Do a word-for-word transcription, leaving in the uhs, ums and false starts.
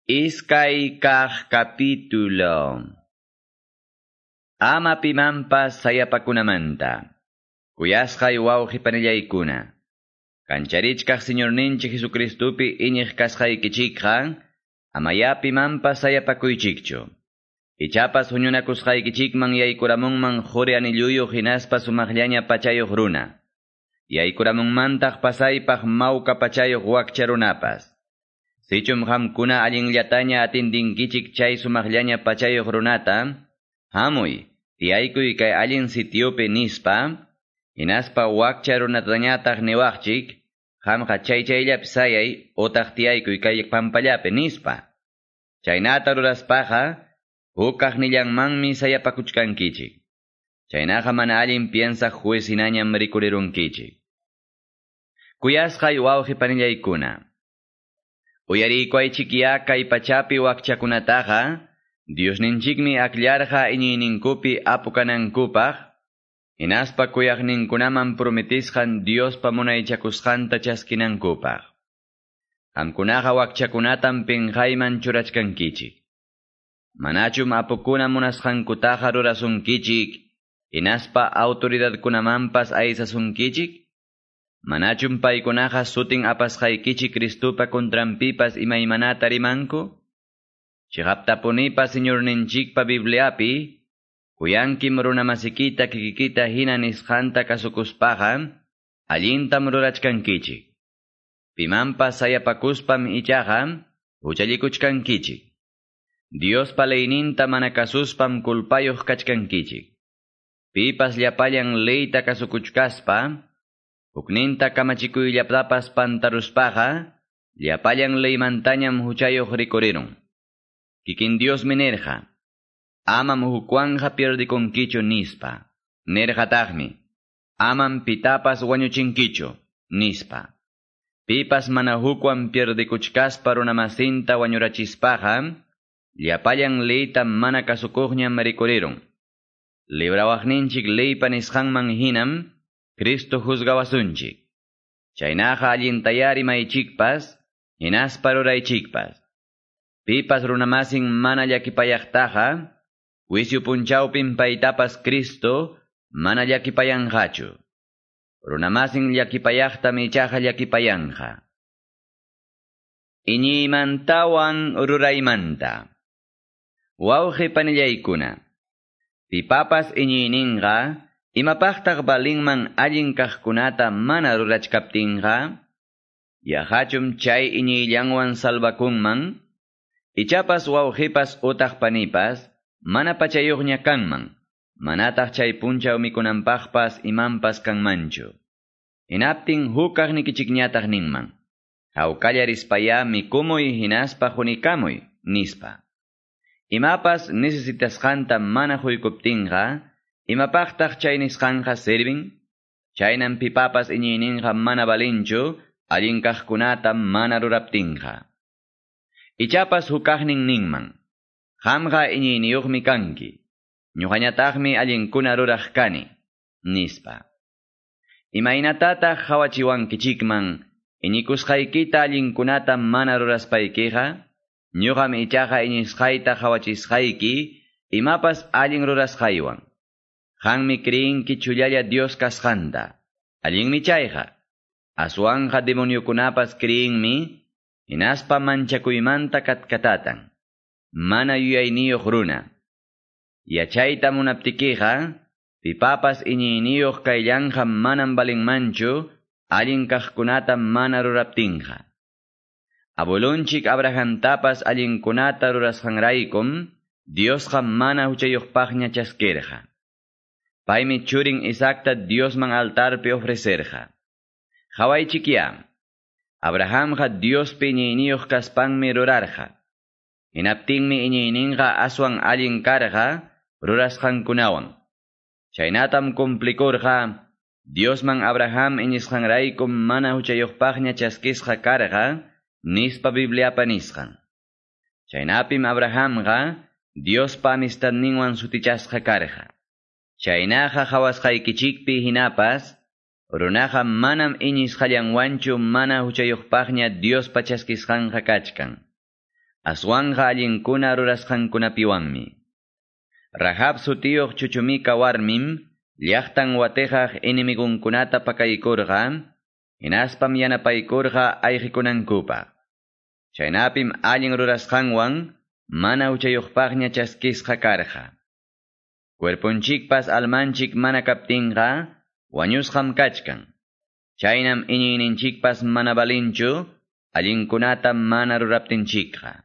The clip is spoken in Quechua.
Iskay kaq capítulo. Ama pimanpas sayapakunamanta. Kuyasqay wawqi panillaykuna. Kancharichkaq Señorninchik Jesucristupi iñiq kasqaykichikqa, amaya pimanpas sayapakuychikchu. Ichapas huñunakusqaykichikman yaykuramunman quri anilluyuq hinaspa sumaqllaña pachayuq runa. Yaykuramunmantaq pasaypaq mawka pachayuq wakcha runapas. Sichum qamkuna allinllataña atindinkichik chay sumaqllaña pachayuq runata, hamuy, tiyaykuy kay allin sitiopi nispa, hinaspa wakcha runatañataq niwaqchik, qamqa chay chayllapi sayay utaq tiyaykuy kay pampallapi nispa. Chaynata ruraspaqa, huk kaqnillanmanmi sayapakuchkankichik. Chaynaqa mana allin piensaq juez hinañam rikurirunkichik. Kuyasqay wawqi panillaykuna. Uyariykuaychikya kay pachapi wakchakunataqa, Diosninchikmi akllarqa iñiyninkupi apukanankupaq, hinaspa kuyaqninkunaman prometisqan Diospa munaychakusqanta chaskinankupaq. Qamkunaqa wakchakunatam pinqayman churachkankichik. Manachum apukuna munasqankutaqa rurasunkichik, hinaspa autoridadkunamanpas aysasunkichik? Manachum paykunaqa sutin apasqaykichik Cristupa contranpipas imaymanata rimanku? Chiqaptapunipa Señorninchikpa Bibliapi, kuyankim runamasikita kikikita hina nisqanta kasukuspaqa, allintam rurachkankichik. Pimanpas sayapakuspam ichaqa, huchallikuchkankichik. Diospa leyninta mana kasuspam kulpayuq kachkankichik. Pipas llapallan leyta kasukuchkaspa, hukninta kamachikuyllatapas pantaruspaqa, llapallan leymantañam huchayuq rikurirun. Kikin Diosmi nirqa, amam hukwanja pierdikunkichu nispa. Nirqataqmi, amam pitapas wañuchinkichu, nispa. Pipas mana hukwan pierdikuchkaspa runamasinta wañurachispaqa, llapallan leyta mana kasukuqñam rikurirun. Librawaqninchik leypa nisqanman hinam, Cristo juzgawasunchik. Chaynaqa allintaya rimaychikpas, hinaspa ruraychikpas. Pipas runamasin mana llakipayaqtaqa, juicio punchawpim paytapas Cristo mana llakipayanqachu. Runamasin llakipayaqtam ichaqa llakipayanqa. Iñiymantawan ruraymanta. Wawqi panillaykuna. Pipapas iñiyninqa, imapaqtaq balinman allin kaqkunata mana rurachkaptinqa, yaqachum chay iñiyllanwan salvakunman, ichapas wawqipas utaq panipas, mana pachayuqña kanman, manataq chay punchaw mikunanpaqpas imanpas kanmanchu. Hinaptin huk kaqnikichikñataq ninman, hawkalla rispayá mikumuy hinaspa hunikamuy, nispa. Imapas necesitasqanta mana huykuptinqa, imapaqtaq chay nisqanqa servin? Chaynam pipapas iñiyninqa mana balinchu, allin kaqkunata mana ruraptinqa. Ichapas hukaqnin ninman, qamqa iñiyniyuqmi kanki, ñuqañataqmi allinkuna ruraq kani, nispa. Imaynatataq hawachiwankichikman, iñikusqaykita allinkunata mana ruraspaykiqa, ñuqam ichaqa iñisqayta hawachisqayki, imapas allin rurasqaywan. Qanmi creenki chullalla Dios kasqanta. Allinmi chayqa. Aswanqa demoniokunapas creenmi, hinaspa manchakuymanta katkatatan. Mana yuyayniyuq runa. Yachayta munaptikiqa, pipapas iñiyniyuq kayllanqa manam balinmanchu, allin kaqkunata mana ruraptinqa. Abuelunchik Abrahamtapas allinkunata rurasqanraykum, Diosqa mana huchayuqpaqña chaskirqa. Paymi churin Isaacta Diosman altarpi ofrecerqa. Qhawaychikya, Abrahamqa Diospi iñiyniyuq kaspanmi rurarqa. Hinaptinmi iñiyninqa aswan allin karqa rurasqankunawan. Chaynatam cumplikurqa, Diosman Abraham iñisqanraykum mana huchayuqpaqña chaskisqa karqa, nispa Bibliapa nisqan. Chaynapim Abrahamqa Diospa amistadninwan sutichasqa karqa. Chaynaqa qhawasqaykichikpi hinapas, runaqa manam iñisqallanwanchu mana huchayuqpaqña Diospa chaskisqanqa kachkan. aswanqa allinkuna rurasqankunapiwanmi. Rahab sutiyuq chuchumika warmim llaqtan watiqaq enemigunkunata pakaykurqa, hinaspam yanapaykurqa ayqikunankupaq. Chaynapim allin rurasqanwan mana huchayuqpaqña chaskisqa karqa. Cuerponchikpas almanchik mana kaptinqa wañusqam kachkan. Chaynam iñiyninchikpas mana valinchu, allinkunata mana ruraptinchikqa.